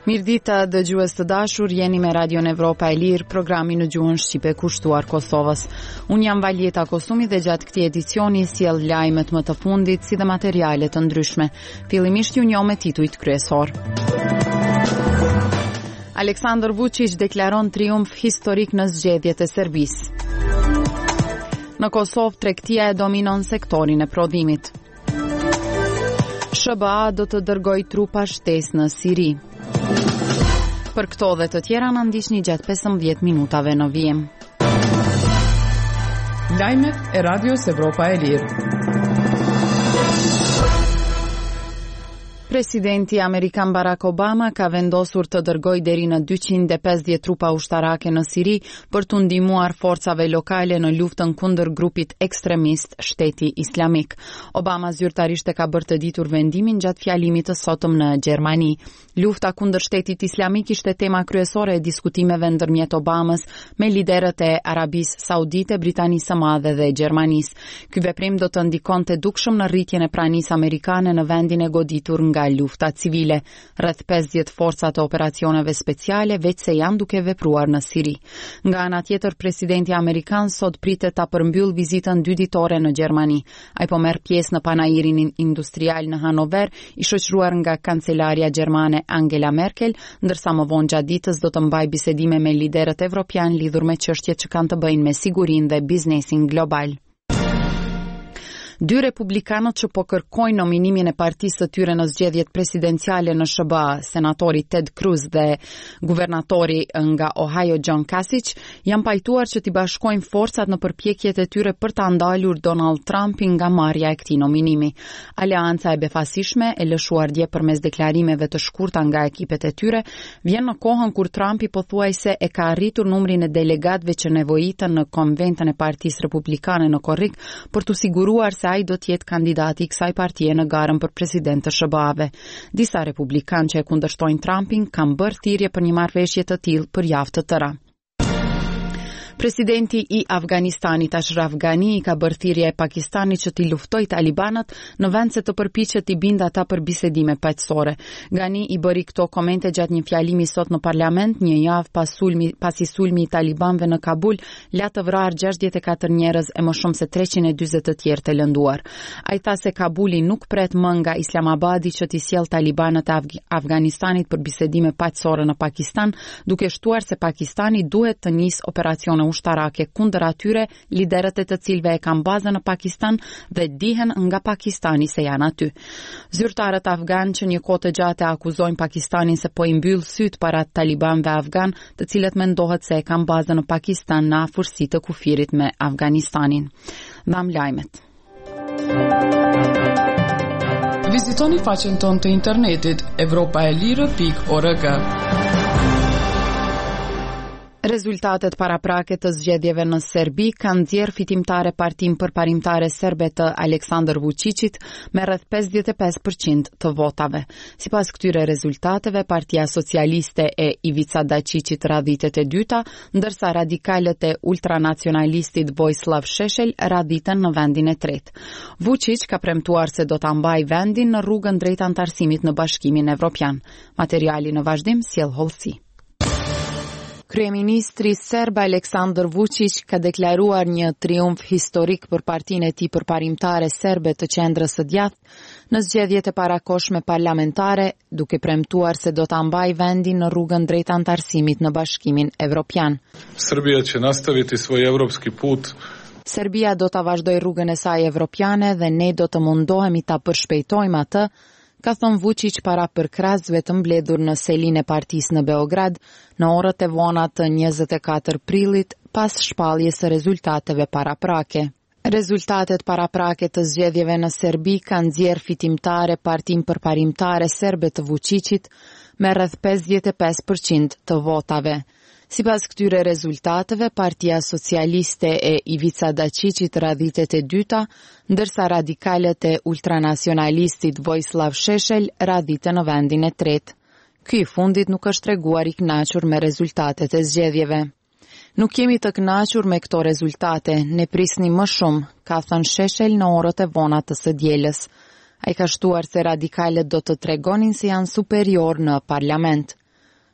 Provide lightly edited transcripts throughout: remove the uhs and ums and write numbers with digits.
Mirëdita dëgjues të dashur, jeni me Radion Evropa e Lirë, programi në gjuhën shqipe kushtuar Kosovës. Unë jam Valjeta Kosumi dhe gjatë këtij edicioni sjell lajmet më të fundit si dhe materiale të ndryshme. Fillimisht ju njoh me titujt kryesorë. Aleksandër Vuçiq deklaron triumf historik në zgjedhjet e Serbisë. Në Kosovë, tregtia e dominon sektorin e prodhimit. SHBA do të dërgojë trupa shtesë në Siri. Për këto dhe të tjera na ndiqni gjatë 15 minutave në vijim. Lajmet e Radios Evropa e Lirë. Presidenti amerikan Barack Obama ka vendosur të dërgojë deri në 250 trupa ushtarake në Siri për t'u ndihmuar forcave lokale në luftën kundër grupit ekstremist Shteti Islamik. Obama zyrtarisht e ka bërë të ditur vendimin gjatë fjalimit të sotëm në Gjermani. Lufta kundër Shtetit Islamik ishte tema kryesore e diskutimeve ndërmjet Obamës me liderët e Arabisë Saudite, Britanisë së Madhe dhe Gjermanisë. Ky veprim do të ndikonte dukshëm në rritjen e pranisë amerikane në vendin e goditur nga lufta civile. Rreth 50 forca të operacioneve speciale veçse janë duke vepruar në Siri. Nga ana tjetër, presidenti amerikan sot pritet ta përmbyllë vizitën dyditore në Gjermani. Ai po merr pjesë në panairin industrial në Hanover, i shoqëruar nga kancelarja gjermane Angela Merkel, ndërsa më vonë gjatë ditës do të mbajë bisedime me liderët evropianë lidhur me çështjet që kanë të bëjnë me sigurinë dhe biznesin global. Dy republikanët që po kërkojnë nominimin e partisë së tyre në zgjedhjet presidenciale në SHBA, senatori Ted Cruz dhe guvernatori nga Ohio John Kasich, janë pajtuar që t'i bashkojnë forcat në përpjekjet e tyre për ta ndalur Donald Trumpin nga marrja e këtij nominimi. Aleanca e befasishme, e lëshuar dje përmes deklarimeve të shkurta nga ekipet e tyre, vjen në kohën kur Trumpi pothuajse e ka arritur numrin e delegatëve që nevojiten në konventën e Partisë Republikane në korrik për t'u siguruar se ai do të jetë kandidati i kësaj partie në garën për president të SHBA-ve. Disa republikanë që e kundërshtojnë Trumpin kanë bërë thirrje për një marrëveshje të tillë për javë të tëra. Presidenti i Afganistanit Ashraf Ghani i ka bërë thirrje Pakistanit që t'i luftojë talibanët në vend se të përpiqet t'i bindë ata për bisedime paqësore. Ghani i bëri këto komente gjatë një fjalimi sot në parlament, një javë pas sulmi, pasi sulmi i talibanëve në Kabul la të vrarë 64 njerëz e më shumë se 340 të tjerë të lënduar. Ai tha se Kabuli nuk pret më nga Islamabadi që t'i sjellë talibanët e Afganistanit për bisedime paqësore në Pakistan, duke shtuar se Pakistani duhet të nisë operacione ushtarake kundër atyre, liderët e të cilëve e kanë bazën në Pakistan dhe dihen nga Pakistani se janë aty. Zyrtarët afganë që një kohë të gjatë e akuzojnë Pakistanin se po i mbyll sytë para talibanëve afganë, të cilët mendohet se e kanë bazën në Pakistan në afërsi të kufirit me Afganistanin. Dhamë lajmet. Vizitoni faqen tonë të internetit evropaelire.org. Rezultatet paraprake të zgjedhjeve në Serbi kanë nxjerrë fitimtare Partinë Përparimtare Serbe të Aleksandër Vuçiqit me rreth 55% të votave. Sipas këtyre rezultateve, Partia Socialiste e Ivica Daçiqit radhitet e dyta, ndërsa radikalët e ultranacionalistit Vojislav Sheshel radhiten në vendin e tretë. Vuçiq ka premtuar se do ta mbajë vendin në rrugën drejt anëtarësimit në Bashkimin Evropian. Materiali në vazhdim sjell hollësi. Kryeministri serb Aleksandër Vuçiq ka deklaruar një triumf historik për partinë e tij përparimtare serbe të qendrës së djathtë në zgjedhjet e parakohshme parlamentare, duke premtuar se do ta mbajë vendin në rrugën drejt anëtarësimit në Bashkimin Evropian. Srbija će nastaviti svoj evropski put Serbia do ta vazhdojë rrugën e saj evropiane dhe ne do të mundohemi ta përshpejtojmë atë, ka thënë Vuçiq para përkrahësve të mbledhur në selinë e partisë në Beograd në orët e vona të 24 prillit pas shpalljes së rezultateve paraprake. Rezultatet paraprake të zgjedhjeve në Serbi kanë nxjerrë fitimtare Partinë Përparimtare Serbe të Vuçiqit me rreth 55% të votave. Sipas këtyre rezultateve, Partia Socialiste e Ivica Daçiqit radhitet e dyta, ndërsa radikalët e ultranacionalistit Vojislav Sheshel radhiten në vendin e tretë. Ky i fundit nuk është treguar i kënaqur me rezultatet e zgjedhjeve. Nuk jemi të kënaqur me këto rezultate, ne prisnim më shumë, ka thënë Sheshel në orët e vona të së dielës. Ai ka shtuar se radikalët do të tregonin se janë superiorë në parlament.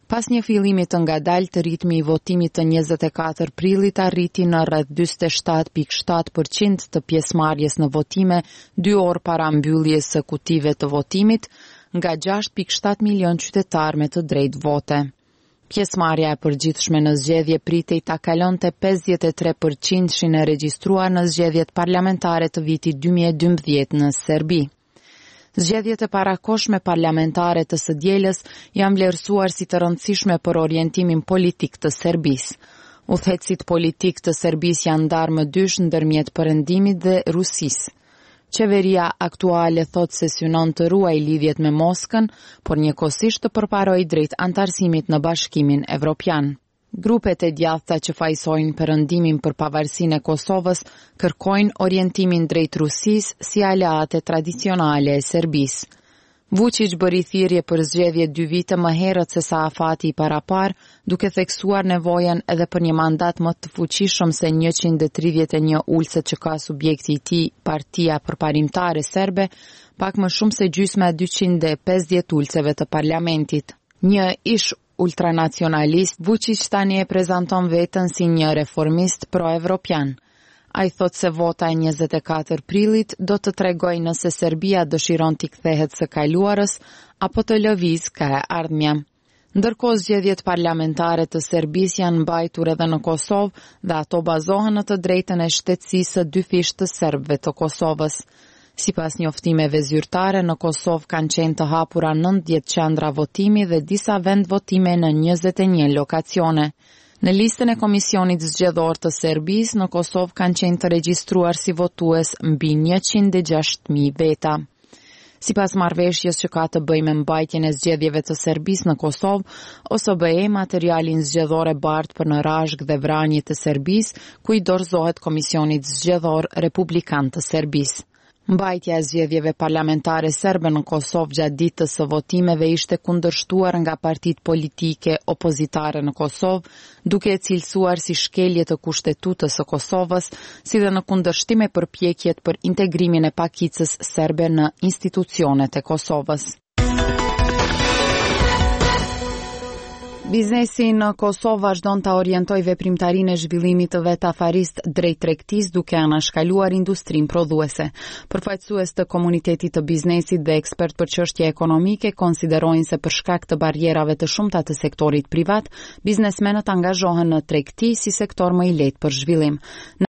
Pas një fillimi të ngadaltë, ritmi i votimit të 24 prillit arriti në rreth 47.7 për qind të pjesëmarrjes në votime dy orë para mbylljes së kutive të votimit, nga 6.7 milion qytetarë me të drejtë vote. Pjesëmarrja e përgjithshme në zgjedhje pritej ta kalonte 53 për qindshin e regjistruar në zgjedhjet parlamentare të vitit 2012 në Serbi. Zgjedhjet e parakohshme parlamentare të së dielës janë vlerësuar si të rëndësishme për orientimin politik të Serbisë. Udhëheqësit politikë të Serbisë janë ndarë më dysh ndërmjet Perëndimit dhe Rusisë. Qeveria aktuale thotë se synon të ruajë lidhjet me Moskën, por njëkohësisht të përparojë drejt anëtarësimit në Bashkimin Evropian. Grupet e djathta që fajësojnë Perëndimin për pavarësinë e Kosovës kërkojnë orientimin drejt Rusisë si aleate tradicionale e Serbisë. Vuçiq bëri thirrje për zgjedhje dy vite më herët se sa afati i paraparë, duke theksuar nevojën edhe për një mandat më të fuqishëm se 131 ulëset që ka subjekti i tij, Partia Përparimtare Serbe, pak më shumë se gjysma e 250 ulëseve të parlamentit. Një ish ultranacionalist, Vuçiq tani e prezanton veten si një reformist pro-evropian. Ai thotë se vota e 24 prillit do të tregojë nëse Serbia dëshiron t'i kthehet së kaluarës apo të lëvizë ka e ardhmja. Ndërkohë zgjedhjet parlamentare të Serbisë janë mbajtur edhe në Kosovë dhe ato bazohen në të drejtën e shtetësisë së dyfishtë të serbëve të Kosovës. Sipas njoftimeve zyrtare, në Kosovë kanë qenë të hapura 90 qendra votimi dhe disa vendvotime në 21 lokacione. Në listën e Komisionit Zgjedhor të Serbisë, në Kosovë kanë qenë të regjistruar si votues mbi 106.000 veta. Sipas marrëveshjes që ka të bëjë me mbajtjen e zgjedhjeve të Serbisë në Kosovë, OSBE materialin zgjedhor e bart për në Rashkë dhe Vranje të Serbisë, ku i dorëzohet Komisionit Zgjedhor Republikan të Serbisë. Mbajtja e zgjedhjeve parlamentare serbe në Kosovë gjatë ditës së votimeve ishte kundërshtuar nga partitë politike opozitare në Kosovë, duke e cilësuar si shkelje të Kushtetutës së Kosovës, si dhe në kundërshtim me përpjekjet për integrimin e pakicës serbe në institucionet e Kosovës. Biznesi në Kosovë vazhdon ta orientojë veprimtarinë e zhvillimit të vet afarist drejt tregtisë duke anashkaluar industrinë prodhuese. Përfaqësues të komunitetit të biznesit dhe ekspertë për çështje ekonomike konsiderojnë se për shkak të barrierave të shumta të sektorit privat, biznesmenët angazhohen në tregti si sektor më i lehtë për zhvillim.